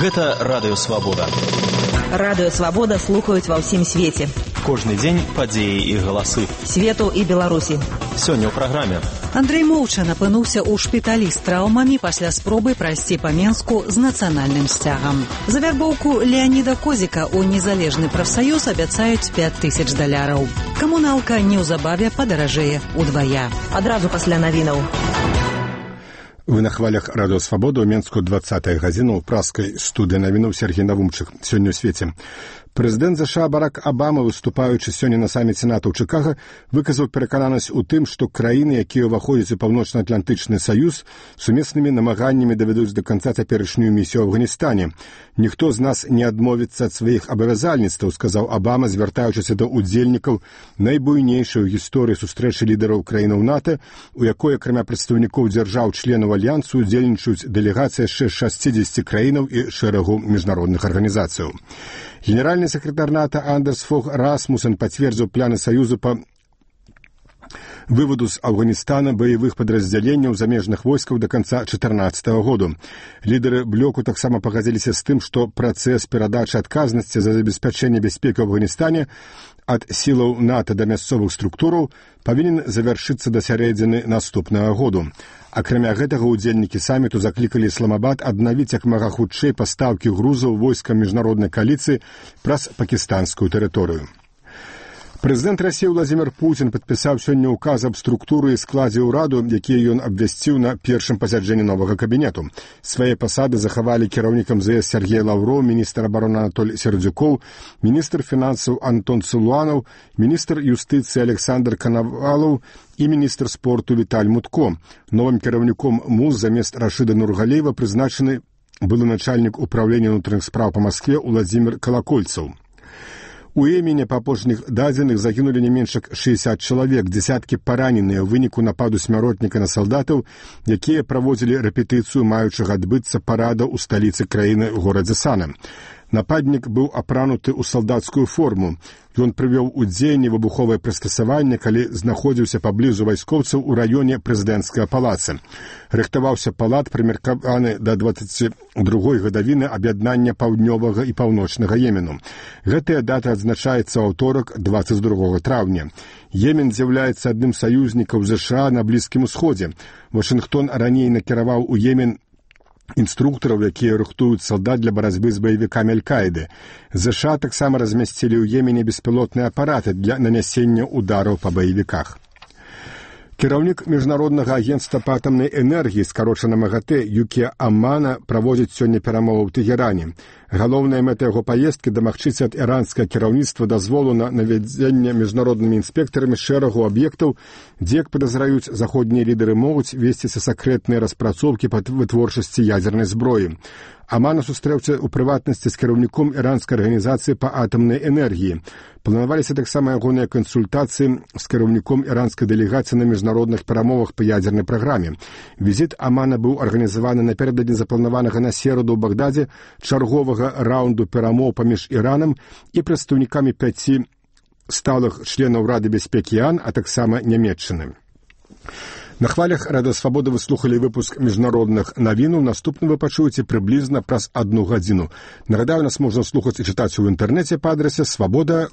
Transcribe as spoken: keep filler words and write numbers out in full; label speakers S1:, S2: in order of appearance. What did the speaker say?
S1: Гэта Радыё Свабода.
S2: Радыё Свабода слухаюць ва ўсім свеце.
S1: Кожны дзень падзеі і галасы.
S2: Свету і Беларусі.
S1: Сёння ў праграме.
S3: Андрэй Моўчан апынуўся ў шпіталі з траўмамі пасля спробы прайсці па Менску з нацыянальным сцягам. За вярбоўку Леаніда Козіка ў незалежны прафсаюз абяцаюць пяць тысяч даляраў. Камуналка неўзабаве падаражэе ўдвая.
S2: Адразу пасля навінаў.
S4: Вы на хвалях Радыё Свабода ў Менску двадцатая гадзіна ў праскай студыі навінаў Сергей Навумчык. Сёння ў свеце. Прэзідэнт ЗША Барак Абама, выступаючы сёння на саміце НАТО ў Чыкага, выказаў перакананасць у тым, што краіны, якія ўваходзяць у Паўночна-Атлантычны саюз, сумеснымі намаганнямі давядуць да канца цяперашнюю місію ў Афганістане. Ніхто з нас не адмовіцца ад сваіх абавязальніцтваў, сказаў Абама, звяртаючыся да ўдзельнікаў найбуйнейшай у гісторыі сустрэчы лідараў краінаў НАТО, у якой, акрамя прадстаўнікоў дзяржаў-членаў альянсу, удзельнічаюць дэлегацыі яшчэ шасцідзесяці краінаў і шэрагу міжнародных арганізацыяў. Генеральный секретарь НАТО Андерс Фог Расмуссен подтвердил планы Союза по выводу с Афганистана боевых подразделений замежных войсков до конца две тысячи четырнадцатого года. Лидеры блоку так само погодились с тем, что процесс передачи отказности за обеспечение безопасности в Афганистане от силаў НАТО до мясцовых структураў павінен завершыцца да сярэдзіны наступнага году. Акрамя гэтага, удзельнікі саміту заклікалі Ісламабад аднавіць як мага хутчэй пастаўкі грузаў войскам міжнароднай кааліцыі праз пакістанскую тэрыторыю. Прэзідэнт Расіі Владзімір Пуцін падпісаў сёння ўказ аб структуры і складзе ўраду, якія ён абвясціў на першым пасяджэнні новага кабінету. Свае пасады захавалі кіраўнікам ЗС Сергей Лаўроў, міністр абароны Анатоль Сердзюкоў, міністр фінансаў Антон Цылуанаў, міністр юстыцыі Александр Канавалаў і міністр спорту Віталь Мутко. Новым кіраўніком МУЗ замест Рашыда Нургалеева прызначаны былы начальнік управлення ўнутраных спраў па Маскве Уладзімір Калакольцаў. У Йемене па апошніх дадзеных загінулі не менш як шэсцьдзесят чалавек, дзесяткі параненыя ў выніку нападу смяротніка на салдатаў, якія праводзілі рэпетыцыю маючага адбыцца парада ў сталіцы краіны горадзе Сана. Нападнік быў апрануты ў салдацкую форму. Ён прывёў у дзеянне выбуховае прыстасаванне, калі знаходзіўся паблізу вайскоўцаў у раёне прэзідэнцкага палаца. Рыхтаваўся палат, прымеркаваны да дваццаці другой гадавіны аб'яднання паўднёвага і паўночнага Йемену. Гэтая дата адзначаецца ў аўторак дваццаць другога траўня. Йемен з'яўляецца адным з саюзнікаў ЗША на Блізкім Усходзе. Вашынгтон раней накіраваў у Йемен інструктараў, якія рыхтуюць салдат для барацьбы з баевікамі Аль-Каіды. ЗША таксама размясцілі ў Йемене беспілотныя апараты для нанясення удараў па баевіках. Кіраўнік міжнароднага агентства па атамнай энергіі, скарочана МАГАТЭ, Юкія Амана, праводзіць сёння перамовы ў Тэгеране. Галоўная мэта яго паездкі дамагчыся ад іранскага кіраўніцтва дазволу на наведзенне міжнароднымі інспектарамі шэрагу аб'ектаў, дзе, як падазраюць, заходнія лідары могуць весціся сакрэтныя распрацоўкі па вытворчасці ядзернай зброі. Амана сустрэўся ў прыватнасці з кіраўніком іранскай арганізацыі па атамнай энергіі. Планаваліся таксама ягоныя кансультацыі з кіраўніком іранскай дэлегацыі на міжнародных перамовах па ядзернай праграме. Візіт Амана быў арганізаваны напярэдадні запланаванага на сераду ў Багдадзе чарговага раунду перамоў паміж Іранам і прадстаўнікамі пяці сталых членаў Рады бяспекі ААН, а таксама Нямецчыны. На хвалях Радыё Свабода вы слухалі выпуск міжнародных навінаў. Наступны вы пачуеце прыблізна праз адну гадзіну. Нагадаю, нас можна слухаць і чытаць у інтэрнэце па адрасе свабода.